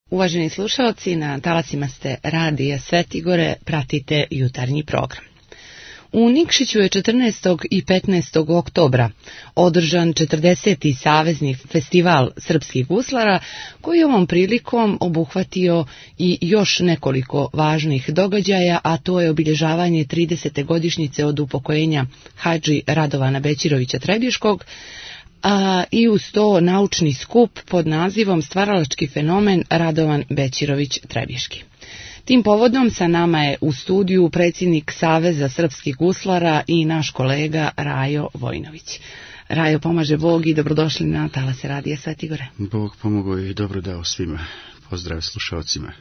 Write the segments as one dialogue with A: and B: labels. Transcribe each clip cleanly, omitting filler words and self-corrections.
A: Uvaženi slušalci, na talasima ste Radija Svetigore, pratite jutarnji program. U Nikšiću je 14. i 15. oktobra održan 40. savezni festival srpskih guslara, koji je ovom prilikom obuhvatio i još nekoliko važnih događaja, a to je obilježavanje 30. godišnjice od upokojenja Hadži Radovana Bećirovića Trebješkog, i uz to naučni skup pod nazivom Stvaralački fenomen Radovan Bećirović Trebješki. Tim povodom sa nama je u studiju predsjednik Saveza srpskih guslara i naš kolega Rajo Vojnović. Rajo, pomaže Bog i dobrodošli na talase Radija Svetigore.
B: Bog pomogao i dobro dao svima. Pozdrav slušalcima.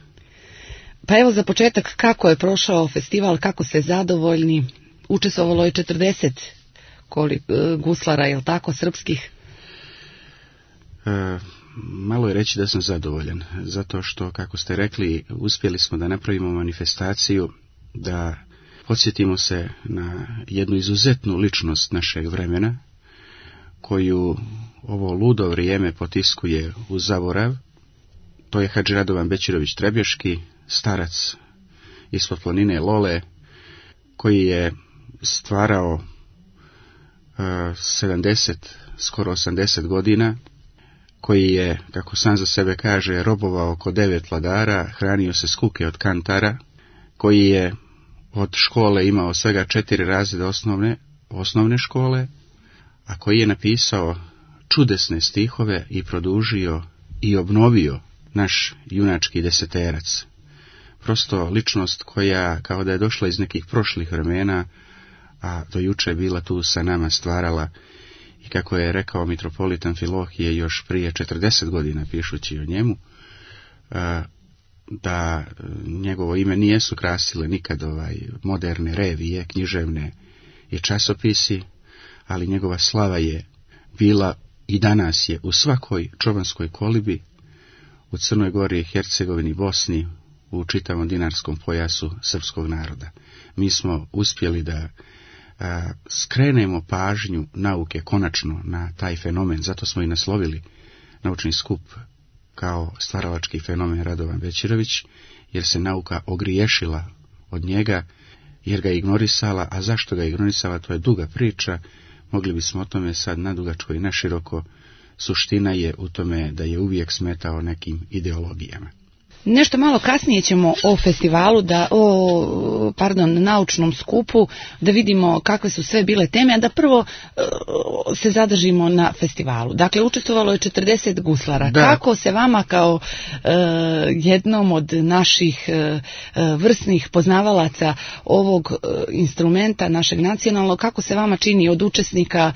A: Pa evo za početak, kako je prošao festival, kako ste zadovoljni? Učestvovalo je 40 guslara, je li tako, srpskih?
B: Malo je reći da sam zadovoljan, zato što, kako ste rekli, uspjeli smo da napravimo manifestaciju, da podsjetimo se na jednu izuzetnu ličnost našeg vremena, koju ovo ludo vrijeme potiskuje u zaborav. To je Hadži Radovan Bećirović Trebješki, starac ispod planine Lole, koji je stvarao 70, skoro 80 godina, koji je, kako sam za sebe kaže, robovao oko 9 vladara, hranio se s kuke od kantara, koji je od škole imao svega 4 razreda osnovne škole, a koji je napisao čudesne stihove i produžio i obnovio naš junački deseterac. Prosto ličnost koja, kao da je došla iz nekih prošlih vremena, a do juče je bila tu sa nama, stvarala, i kako je rekao mitropolit Amfilohije još prije 40 godina pišući o njemu, da njegovo ime nijesu krasile nikad moderne revije, književne i časopisi, ali njegova slava je bila i danas je u svakoj čovanskoj kolibi, u Crnoj Gori, Hercegovini, Bosni, u čitavom dinarskom pojasu srpskog naroda. Mi smo uspjeli da skrenemo pažnju nauke konačno na taj fenomen, zato smo i naslovili naučni skup kao Stvaralački fenomen Radovan Bećirović, jer se nauka ogriješila od njega, jer ga ignorisala, a zašto ga ignorisala, to je duga priča, mogli bismo o tome sad nadugačko i naširoko. Suština je u tome da je uvijek smetao nekim ideologijama.
A: Nešto malo kasnije ćemo o festivalu, naučnom skupu, da vidimo kakve su sve bile teme, a da prvo se zadržimo na festivalu. Dakle, učestvovalo je 40 guslara. Da. Kako se vama kao jednom od naših vrsnih poznavalaca ovog instrumenta, našeg nacionalnog, kako se vama čini od učesnika,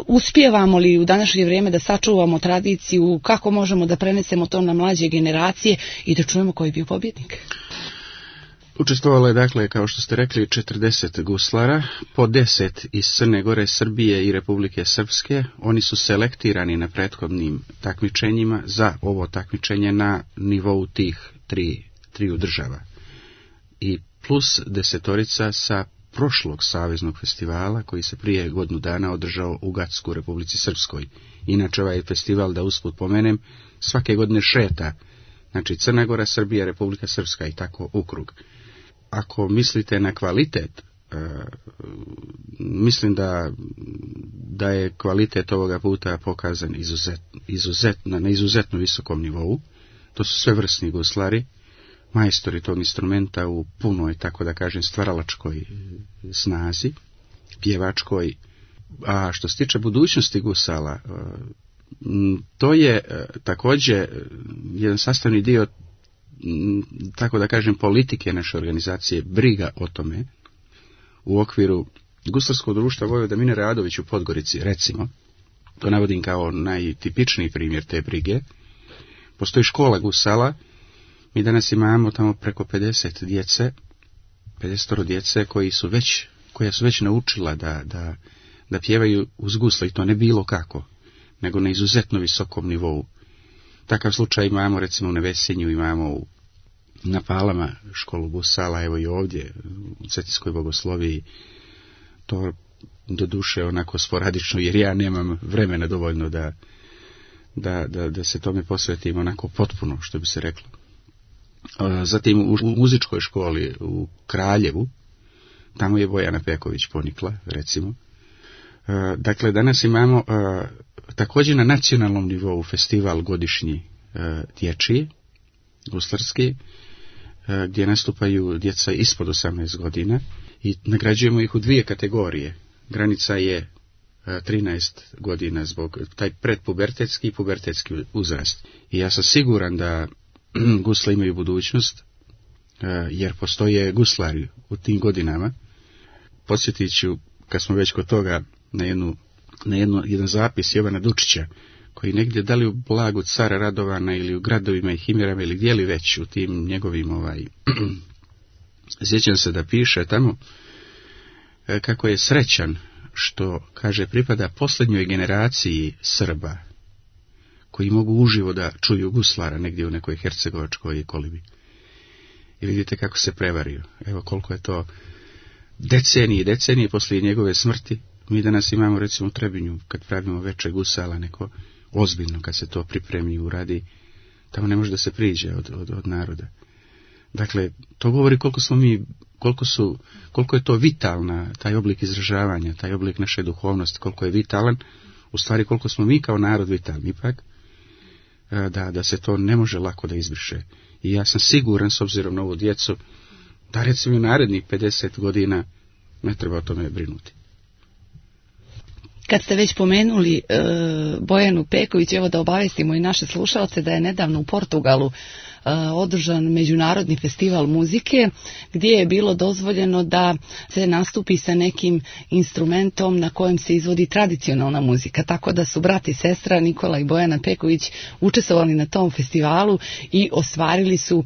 A: uspijevamo li u današnje vrijeme da sačuvamo tradiciju, kako možemo da prenesemo to na mlađe generacije i da čujemo koji je bio pobjednik?
B: Učestvovalo je, dakle, kao što ste rekli, 40 guslara, po 10 iz Crne Gore, Srbije i Republike Srpske. Oni su selektirani na prethodnim takmičenjima za ovo takmičenje na nivou tih triju država. I plus 10 sa prošlog saveznog festivala koji se prije godinu dana održao u Gacku, Republici Srpskoj. Inače, ovaj festival, da usput pomenem, svake godine šeta, znači Crna Gora, Srbija, Republika Srpska i tako u krug. Ako mislite na kvalitet, mislim da je kvalitet ovoga puta pokazan na izuzetno visokom nivou. To su sve vrsni guslari, majstori tog instrumenta u punoj, tako da kažem, stvaralačkoj snazi, pjevačkoj. A što se tiče budućnosti gusala, to je također jedan sastavni dio, tako da kažem, politike naše organizacije, briga o tome. U okviru Guslarskog društva Vojvoda Mine Radović u Podgorici, recimo, to navodim kao najtipičniji primjer te brige, postoji škola gusala. Mi danas imamo tamo preko 50 djece koja su već naučila da pjevaju uz gusla, i to ne bilo kako, nego na izuzetno visokom nivou. Takav slučaj imamo recimo u Nevesinju, imamo na Palama školu gusala, evo i ovdje u Cetinskoj Bogosloviji. To doduše onako sporadično, jer ja nemam vremena dovoljno da se tome posvetimo onako potpuno, što bi se reklo. Zatim u muzičkoj školi u Kraljevu, tamo je Bojana Peković ponikla, recimo. Dakle, danas imamo također na nacionalnom nivou festival godišnji dječji, guslarski, gdje nastupaju djeca ispod 18 godina i nagrađujemo ih u 2 kategorije. Granica je 13 godina zbog taj predpubertetski i pubertetski uzrast. I ja sam siguran da gusle imaju budućnost, jer postoje guslari u tim godinama. Podsjetit ću, kad smo već kod toga, na jedan zapis Jovana Dučića, koji negdje da li u Blagu cara Radovana ili u gradovima i Himirama ili gdje li već u tim njegovim sjećam se da piše tamo kako je srećan što, kaže, pripada posljednjoj generaciji Srba koji mogu uživo da čuju guslara negdje u nekoj hercegovačkoj kolibi. I vidite kako se prevario. Evo koliko je to decenije poslije njegove smrti. Mi danas imamo, recimo, u Trebinju, kad pravimo veče gusala, neko ozbiljno, kad se to pripremi i uradi, tamo ne može da se priđe od naroda. Dakle, to govori koliko je to vitalna, taj oblik izražavanja, taj oblik naše duhovnosti, koliko je vitalan, u stvari koliko smo mi kao narod vitalni ipak, da se to ne može lako da izbriše. I ja sam siguran, s obzirom na ovu djecu, da recimo u narednih 50 godina ne treba o tome brinuti.
A: Kad ste već pomenuli Bojanu Peković, evo da obavestimo i naše slušalce da je nedavno u Portugalu održan međunarodni festival muzike gdje je bilo dozvoljeno da se nastupi sa nekim instrumentom na kojem se izvodi tradicionalna muzika. Tako da su brat i sestra Nikola i Bojana Peković učestvovali na tom festivalu i ostvarili su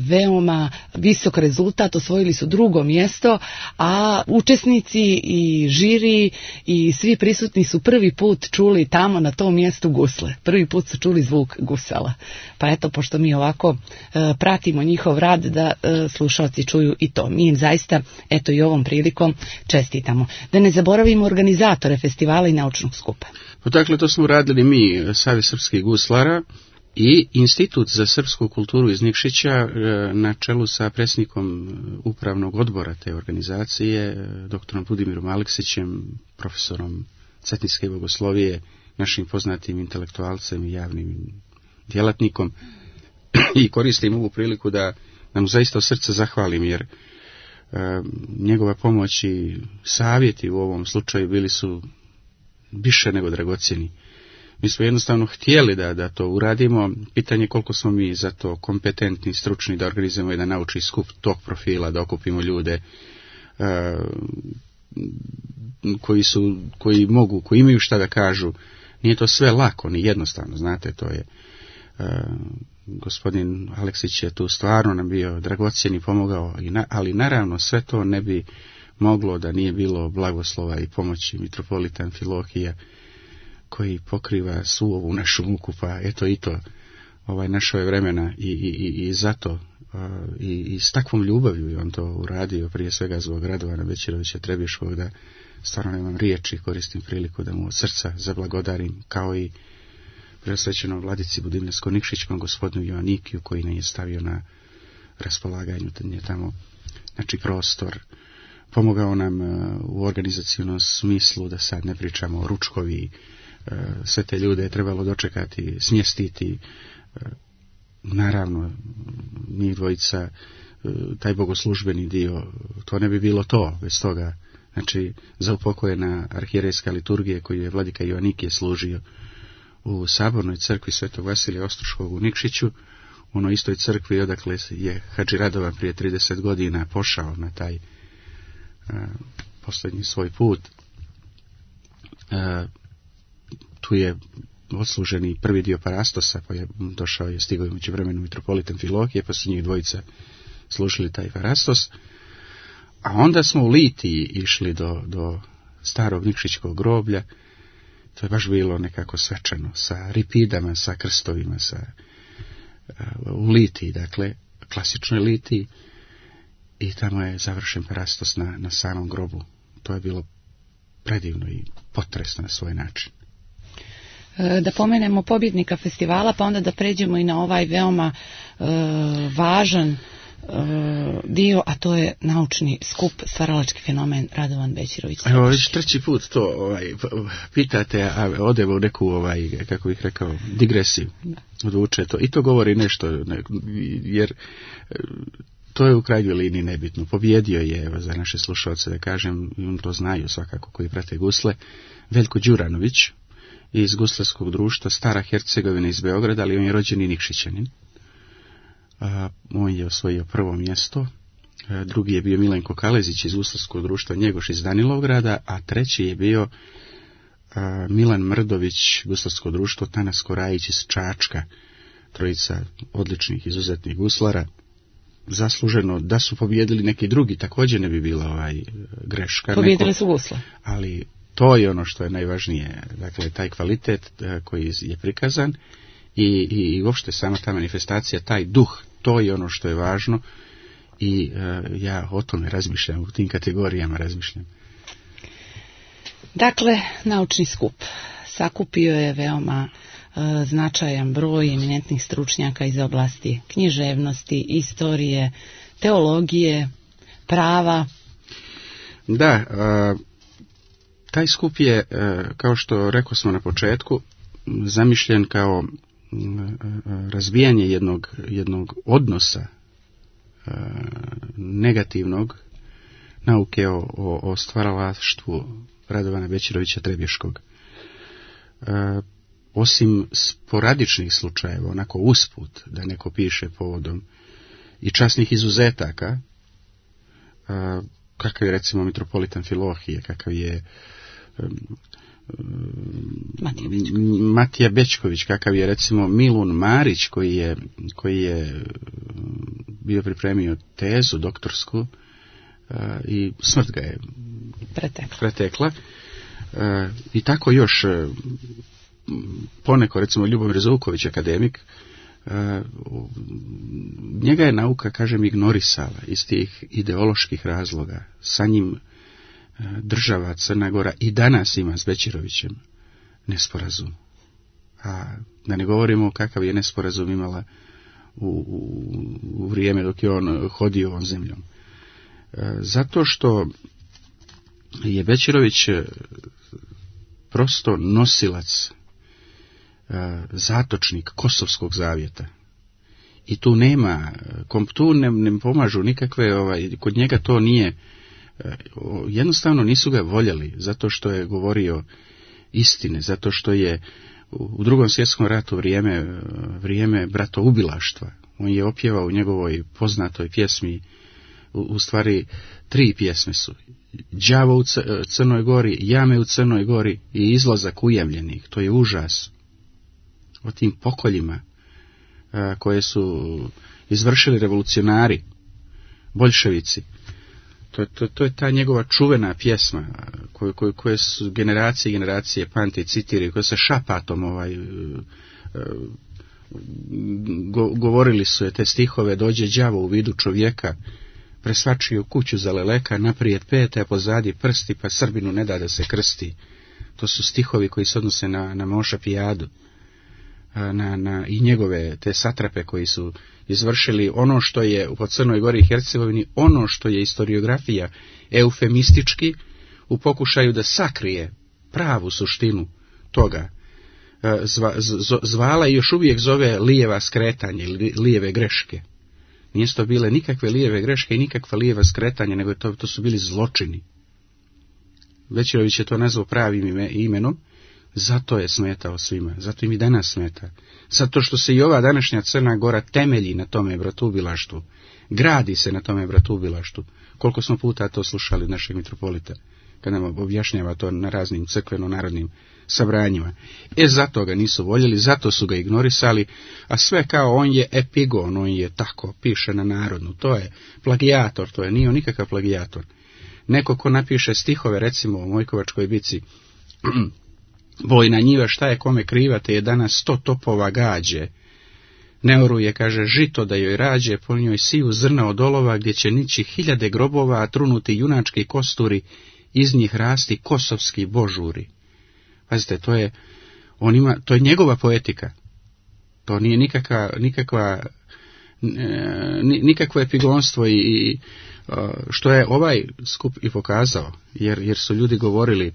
A: veoma visok rezultat, osvojili su 2. mjesto, a učesnici i žiri i svi prisutni su prvi put čuli tamo na tom mjestu gusle. Prvi put su čuli zvuk gusala. Pa eto, pošto mi ovako pratimo njihov rad, da slušalci čuju i to. Mi im zaista, eto, i ovom prilikom čestitamo. Da ne zaboravimo organizatore festivala i naučnog skupa.
B: Dakle, to smo uradili mi, Savez srpskih guslara i Institut za srpsku kulturu iz Nikšića na čelu sa predsjednikom upravnog odbora te organizacije, doktorom Budimirom Aleksićem, profesorom cetinske bogoslovije, našim poznatim intelektualcem i javnim djelatnikom. I koristim ovu priliku da nam zaista od srca zahvalim, jer njegova pomoć i savjeti u ovom slučaju bili su više nego dragocjeni. Mi smo jednostavno htjeli da to uradimo. Pitanje koliko smo mi za to kompetentni, stručni da organizujemo jedan naučni skup tog profila, da okupimo ljude koji imaju šta da kažu. Nije to sve lako, ni jednostavno, znate, to je... Gospodin Aleksić je tu stvarno nam bio dragocjen i pomogao, ali naravno sve to ne bi moglo da nije bilo blagoslova i pomoći mitropolita Amfilohija, koji pokriva svu ovu našu muku, pa eto i to našove vremena i zato i s takvom ljubavlju je on to uradio, prije svega zbog Radovana Bećirovića Trebiškog, da stvarno nemam riječi, koristim priliku da mu od srca zablagodarim, kao i preosvećenom vladici Budimljansko-Nikšićkom gospodinu Joannikiju, koji nam je stavio na raspolaganju tamo, znači, prostor. Pomogao nam u organizacijnom smislu, da sad ne pričamo o ručkovi, sve te ljude je trebalo dočekati, smjestiti. Naravno, mi dvojica, taj bogoslužbeni dio, to ne bi bilo to bez toga. Znači, za upokojena arhijerejska liturgija koju je vladika Joannikije služio u sabornoj crkvi Svetog Vasilija Ostroškog u Nikšiću, u onoj istoj crkvi odakle je Hadži Radovan prije 30 godina pošao na taj posljednji svoj put. Tu je odsluženi prvi dio parastosa, pa je došao, je stigao umeđu vremenu mitropolit Amfilohije, pa su njih dvojica služili taj parastos. A onda smo u Litiji išli do starog Nikšićkog groblja. To je baš bilo nekako svečano, sa ripidama, sa krstovima, u Litiji, dakle, klasičnoj Litiji, i tamo je završen parastos na samom grobu. To je bilo predivno i potresno na svoj način.
A: Da pomenemo pobjednika festivala, pa onda da pređemo i na ovaj veoma važan dio, a to je naučni skup Stvaralački fenomen Radovan Bećirović.
B: Evo, već treći put to pitate, a odevo u neku, kako bih rekao, digresiju. Odvuče to. I to govori nešto, jer to je u krajnjoj liniji nebitno. Pobjedio je, evo, za naše slušalce da kažem, to znaju svakako koji prate gusle, Veljko Đuranović iz Guslarskog društva Stara Hercegovina iz Beograda, ali on je rođeni Nikšićanin. On je osvojio prvo mjesto, drugi je bio Milenko Kalezić iz Guslarskog društva Njegoš iz Danilovgrada, a treći je bio Milan Mrdović, Guslarsko društvo Tanas Korajić iz Čačka, trojica odličnih, izuzetnih guslara. Zasluženo da su pobjedili neki drugi, također ne bi bila greška.
A: Pobjedili su gusle.
B: Ali to je ono što je najvažnije, dakle taj kvalitet koji je prikazan i uopšte sama ta manifestacija, taj duh, to je ono što je važno i ja o tome razmišljam, u tim kategorijama razmišljam.
A: Dakle, naučni skup sakupio je veoma značajan broj eminentnih stručnjaka iz oblasti književnosti, istorije, teologije, prava.
B: Da, taj skup je, kao što rekao smo na početku, zamišljen kao razbijanje jednog odnosa negativnog nauke o stvaralaštvu Radovana Bećirovića Trebješkog. Osim sporadičnih slučajeva, onako usput, da neko piše povodom i časnih izuzetaka, kakav je recimo mitropolitan Filohije, kakav je Matija Bečković, kakav je recimo Milun Marić, koji je bio pripremio tezu doktorsku i smrt ga je pretekla. I tako još poneko, recimo Ljubomir Zuković, akademik, njega je nauka, kažem, ignorisala iz tih ideoloških razloga. Sa njim država Crna Gora i danas ima s Bećirovićem nesporazum. A da ne govorimo kakav je nesporazum imala u vrijeme dok je on hodio ovom zemljom. Zato što je Bećirović prosto nosilac, zatočnik Kosovskog zavjeta. I tu nema, tu ne pomažu nikakve, kod njega to nije, jednostavno nisu ga voljeli, zato što je govorio istine, zato što je u Drugom svjetskom ratu vrijeme bratoubilaštva. On je opjevao u njegovoj poznatoj pjesmi, u stvari 3 pjesme su: Đavo u Crnoj Gori, Jame u Crnoj Gori i Izlazak ujamljenih. To je užas o tim pokoljima koje su izvršili revolucionari, boljševici. To je ta njegova čuvena pjesma koje su generacije i generacije pamte i citiraju, koje se šapatom govorili su je te stihove: dođe đavo u vidu čovjeka, presvačio kuću za leleka, naprijed pete, a pozadi prsti, pa Srbinu ne da se krsti. To su stihovi koji se odnose na Moša Pijadu, i njegove te satrape koji su izvršili ono što je po Crnoj Gori i Hercegovini, ono što je historiografija eufemistički u pokušaju da sakrije pravu suštinu toga, zvala i još uvijek zove lijeva skretanje ili lijeve greške. Nije to bile nikakve lijeve greške i nikakva lijeva skretanja, nego to su bili zločini. Bećirović je to nazvao pravim imenom, zato je smetao svima, zato im i danas smeta. Zato što se i ova današnja Crna Gora temelji na tome bratoubilaštvu, gradi se na tome bratoubilaštvu. Koliko smo puta to slušali od našeg mitropolita, kad nam objašnjava to na raznim crkveno-narodnim sabranjima. Zato ga nisu voljeli, zato su ga ignorisali, a sve kao on je epigon, on je tako, piše na narodnu. To je plagijator, to nije on nikakav plagijator. Neko ko napiše stihove, recimo o Mojkovačkoj bici, bojna njiva šta je kome kriva, te je danas 100 topova gađe. Ne oruje, kaže, žito da joj rađe, po njoj siju zrna od olova, gdje će nići 1000 grobova, a trunuti junački kosturi, iz njih rasti kosovski božuri. Pazite, To je njegova poetika. To nije nikakvo epigonstvo i što je ovaj skup i pokazao, jer su ljudi govorili,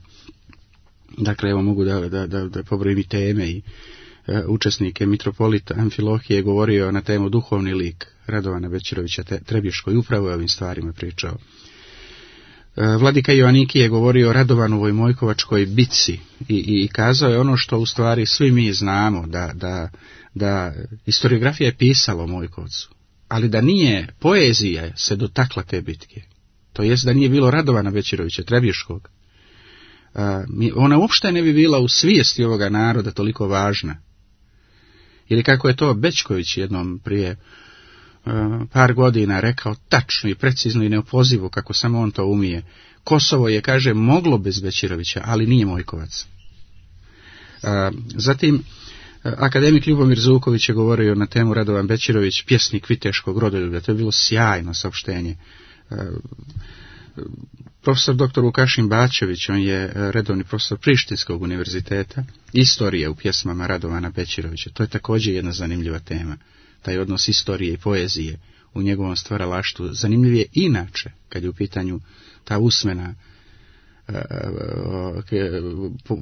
B: dakle evo mogu da pobrojim teme i učesnike. Mitropolit Amfilohije je govorio na temu duhovni lik Radovana Bećirovića Trebješkog i upravo je ovim stvarima pričao. Vladika Joaniki je govorio o Radovanovoj Mojkovačkoj bitci i kazao je ono što u stvari svi mi znamo, da historiografija je pisala o Mojkovcu, ali da nije poezija se dotakla te bitke, to jest da nije bilo Radovana Bećirovića Trebješkog, ona uopšte ne bi bila u svijesti ovoga naroda toliko važna. Ili kako je to Bećković jednom prije par godina rekao tačno i precizno i neopozivo, kako samo on to umije. Kosovo je, kaže, moglo bez Bećirovića, ali nije Mojkovac. Zatim, akademik Ljubomir Zuković je govorio na temu Radovan Bećirović, pjesnik viteškog rodoljublja. To je bilo sjajno saopštenje. Profesor dr. Vukašin Bačević, on je redovni profesor Prištinskog univerziteta, istorije u pjesmama Radovana Bećirovića. To je također jedna zanimljiva tema. Taj odnos istorije i poezije u njegovom stvaralaštvu. Zanimljiv je inače, kad je u pitanju ta usmena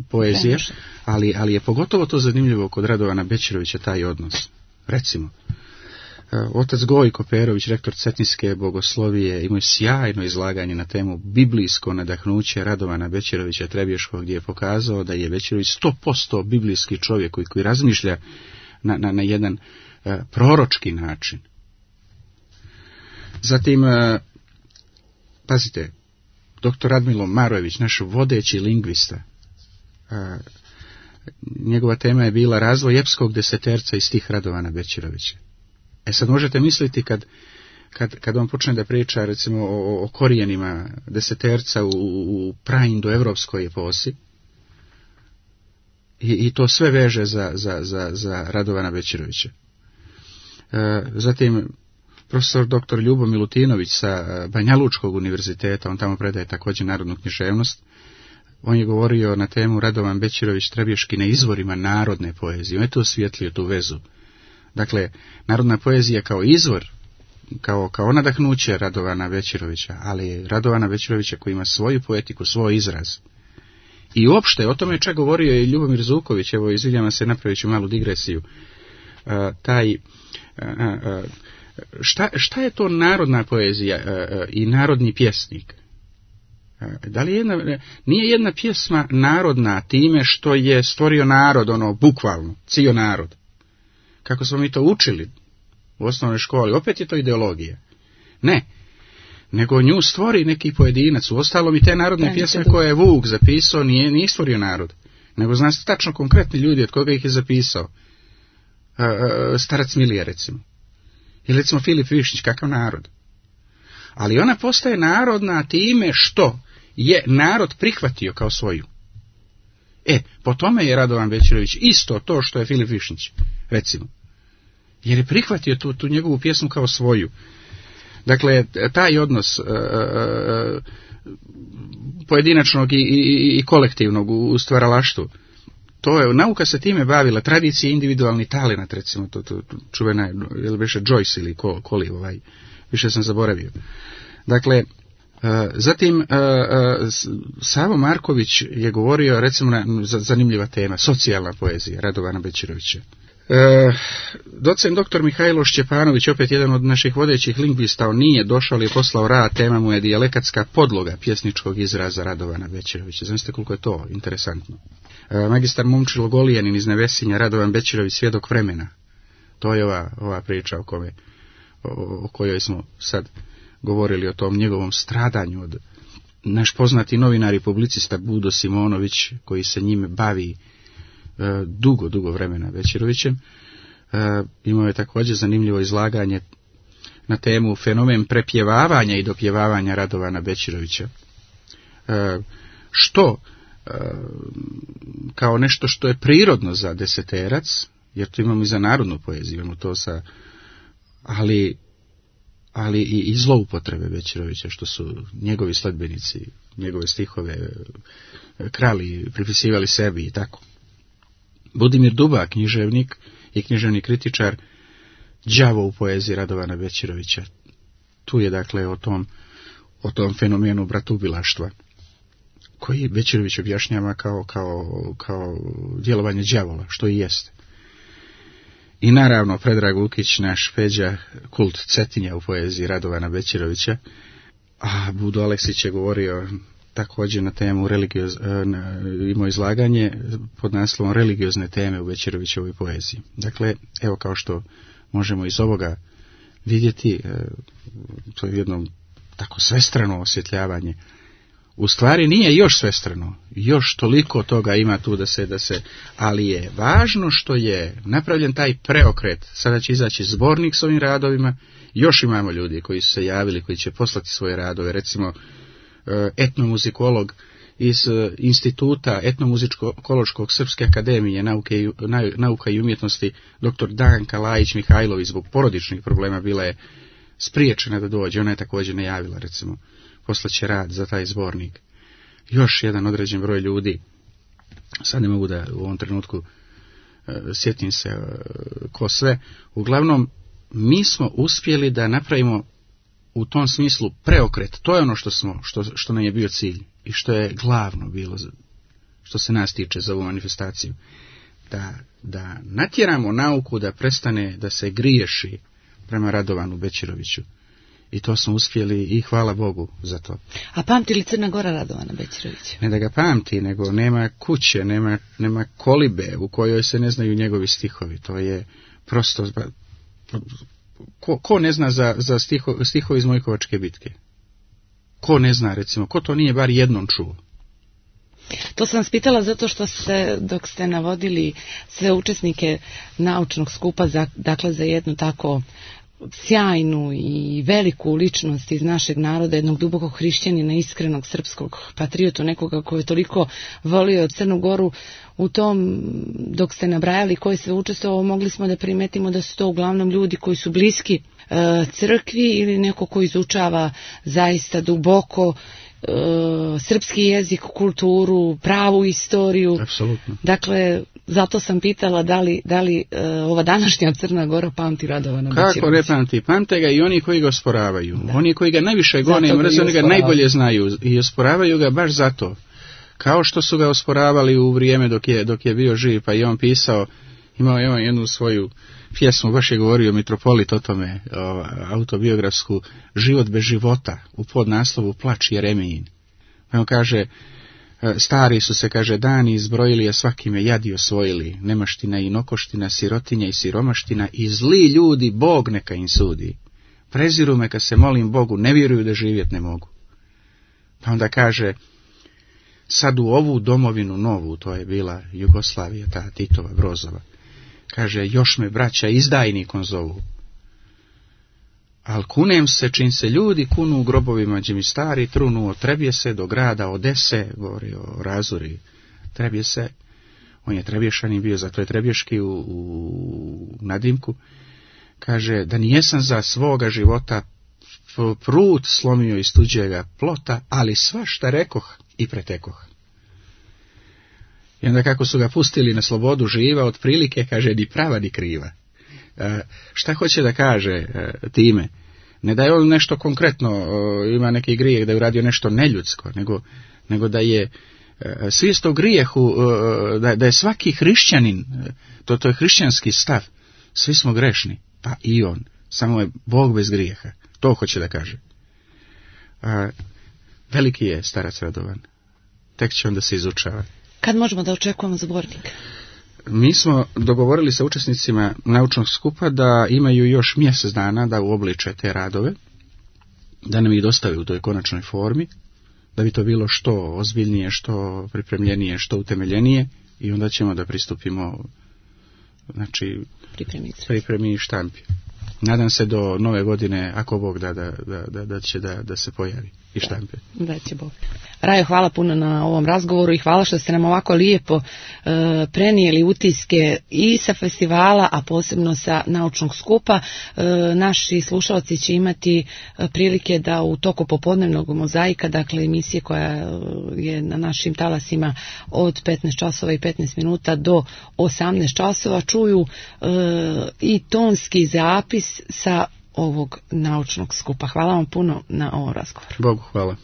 B: poezija, ali je pogotovo to zanimljivo kod Radovana Bećirovića taj odnos. Recimo, otac Gojko Perović, rektor Cetinske bogoslovije, imao je sjajno izlaganje na temu biblijsko nadahnuće Radovana Bećirovića Trebješkog, gdje je pokazao da je Bećirović 100% biblijski čovjek koji razmišlja na jedan proročki način. Zatim, pazite, dr. Radmilo Marojević, naš vodeći lingvista, njegova tema je bila razvoj epskog deseterca i stih Radovana Bećirovića. Sad možete misliti kad on počne da priča recimo o korijenima deseterca u praindoevropskoj eposi i to sve veže za Radovana Bećirovića. Zatim profesor dr. Ljubo Milutinović sa Banjalučkog univerziteta, on tamo predaje također narodnu književnost, on je govorio na temu Radovan Bećirović Trebješki na izvorima narodne poezije. On je to osvijetlio, tu vezu. Dakle, narodna poezija kao izvor, kao nadahnuće Radovana Bećirovića, ali Radovana Bećirovića koji ima svoju poetiku, svoj izraz. I uopšte, o tome je čak govorio i Ljubomir Zuković, evo izvinjavam se, napravit ću malu digresiju. Šta je to narodna poezija i narodni pjesnik? Da li nije jedna pjesma narodna time što je stvorio narod, bukvalno, cijel narod? Kako smo mi to učili u osnovnoj školi, opet je to ideologija. Ne, nego nju stvori neki pojedinac. Uostalom i te narodne pjesme koje je Vuk zapisao nije stvorio narod, nego zna se tačno konkretni ljudi od koga ih je zapisao. Starac Milija recimo. Ili recimo Filip Višnjić, kakav narod. Ali ona postaje narodna time što je narod prihvatio kao svoju. Po tome je Radovan Bećirović isto to što je Filip Višnjić, recimo. Jer je prihvatio tu njegovu pjesmu kao svoju. Dakle, taj odnos pojedinačnog i kolektivnog u stvaralaštvu, to je, nauka se time bavila, tradicija individualni talenat, recimo, to čuvena je, ili više Joyce ili Koli, više sam zaboravio. Dakle, zatim, Savo Marković je govorio, recimo, zanimljiva tema, socijalna poezija Radovana Bećirovića. Docent dr. Mihajlo Šćepanović, opet jedan od naših vodećih lingvista, on nije došao, ali je poslao rad, tema mu je dijalekatska podloga pjesničkog izraza Radovana Bećirovića. Znate koliko je to interesantno. Magistar Momčilo Golijanin iz Nevesinja, Radovan Bećirović, svjedok vremena. To je ova priča o kojoj smo sad govorili, o tom njegovom stradanju od naš poznati novinar i publicista Budo Simonović, koji se njime bavi dugo vremena Bećirovićem. Imao je također zanimljivo izlaganje na temu fenomen prepjevavanja i dopjevavanja Radovana Bećirovića. Što kao nešto što je prirodno za deseterac, jer tu imamo i za narodnu poeziju, imamo to ali i zloupotrebe Bećirovića, što su njegovi sledbenici, njegove stihove krali, pripisivali sebi i tako. Budimir Duba, književnik i književni kritičar, đavo u poeziji Radovana Bećirovića. Tu je dakle o tom fenomenu bratubilaštva, koji Bećirović objašnjava kao djelovanje đavola, što i jeste. I naravno Predrag Lukić, naš Peđa, kult Cetinja u poeziji Radovana Bećirovića, a Budo Aleksić je govorio također na temu imao izlaganje pod naslovom religiozne teme u Bećirovićevoj poeziji. Dakle, evo kao što možemo iz ovoga vidjeti, to je jedno tako svestrano osvjetljavanje. U stvari nije još svestrano, još toliko toga ima tu da se, ali je važno što je napravljen taj preokret. Sada će izaći zbornik s ovim radovima, još imamo ljudi koji su se javili, koji će poslati svoje radove, recimo etnomuzikolog iz instituta etnomuzikološkog Srpske akademije nauka i umjetnosti, dr. Danka Lajić Mihajlović, zbog porodičnih problema bila je spriječena da dođe, ona je također najavila, recimo, poslaće rad za taj zbornik. Još jedan određen broj ljudi, sad ne mogu da u ovom trenutku sjetim se ko sve, uglavnom mi smo uspjeli da napravimo u tom smislu preokret. To je ono što nam je bio cilj i što je glavno bilo, što se nas tiče za ovu manifestaciju. Da natjeramo nauku da prestane da se griješi prema Radovanu Bećiroviću. I to smo uspjeli i hvala Bogu za to.
A: A pamti li Crna Gora Radovana Bećirovića?
B: Ne da ga pamti, nego nema kuće, nema kolibe u kojoj se ne znaju njegovi stihovi. To je prosto... Ko ne zna za stihovi iz Mojkovačke bitke? Ko ne zna, recimo, ko to nije bar jednom čuo?
A: To sam vas pitala zato što dok ste navodili sve učesnike naučnog skupa, dakle za jednu tako sjajnu i veliku ličnost iz našeg naroda, jednog dubokog hrišćanina, iskrenog srpskog patriotu, nekoga koji je toliko volio Crnu Goru, u tom, dok ste nabrajali koji sve učestvovao, mogli smo da primetimo da su to uglavnom ljudi koji su bliski crkvi ili neko ko izučava zaista duboko srpski jezik, kulturu, pravu istoriju.
B: Apsolutno.
A: Dakle, zato sam pitala da li ova današnja Crna Gora pamti Radovana Bećirovića.
B: Kako ne pamti? Pamte ga i oni koji ga osporavaju. Da. Oni koji ga najviše gone i mrze, oni ga najbolje znaju i osporavaju ga baš zato. Kao što su ga osporavali u vrijeme dok je bio živ, pa i on pisao, imao je on jednu svoju pjesmu, baš je govorio mitropolit o tome, autobiografsku, Život bez života, u podnaslovu Plač Jeremijin. Pa on kaže, stari su se, kaže, dani izbrojili, a svakime jadi osvojili, nemaština i nokoština, sirotinja i siromaština, i zli ljudi Bog neka im sudi. Preziru me kad se molim Bogu, ne vjeruju da živjet ne mogu. Pa onda kaže, sad u ovu domovinu novu, to je bila Jugoslavija, ta Titova, Brozova, kaže, još me braća izdajnikom zovu. Al kunem se, čim se ljudi kunu u grobovima, gdje mi stari trunu, Trebje se do grada Odese, govori o Razuri, Trebje se, on je Trebješanin bio, zato je Trebješki u nadimku, kaže, da nijesam za svoga života prut slomio iz tuđega plota, ali svašta rekoh i pretekoh. I onda kako su ga pustili na slobodu živa, otprilike, kaže, ni prava ni kriva. Šta hoće da kaže time? Ne da je on nešto konkretno, ima neki grijeh, da je uradio nešto neljudsko, nego da je svijest o grijehu, da je svaki hrišćanin, to je hrišćanski stav, svi smo grešni, pa i on, samo je Bog bez grijeha, to hoće da kaže. Veliki je starac Radovan, tek će onda se izučava.
A: Kad možemo da očekujemo zbornik?
B: Mi smo dogovorili sa učesnicima naučnog skupa da imaju još mjesec dana da uobliče te radove, da nam ih dostave u toj konačnoj formi, da bi to bilo što ozbiljnije, što pripremljenije, što utemeljenije, i onda ćemo da pristupimo, znači, pripremi i štampi. Nadam se do nove godine, ako Bog da će da se pojavi. i štampe.
A: Da će Bog. Rajo, hvala puno na ovom razgovoru i hvala što ste nam ovako lijepo prenijeli utiske i sa festivala, a posebno sa naučnog skupa. Naši slušalci će imati prilike da u toku popodnevnog mozaika, dakle emisije koja je na našim talasima od 15 časova i 15 minuta do 18 časova, čuju i tonski zapis sa ovog naučnog skupa. Hvala vam puno na ovom razgovoru.
B: Bogu hvala.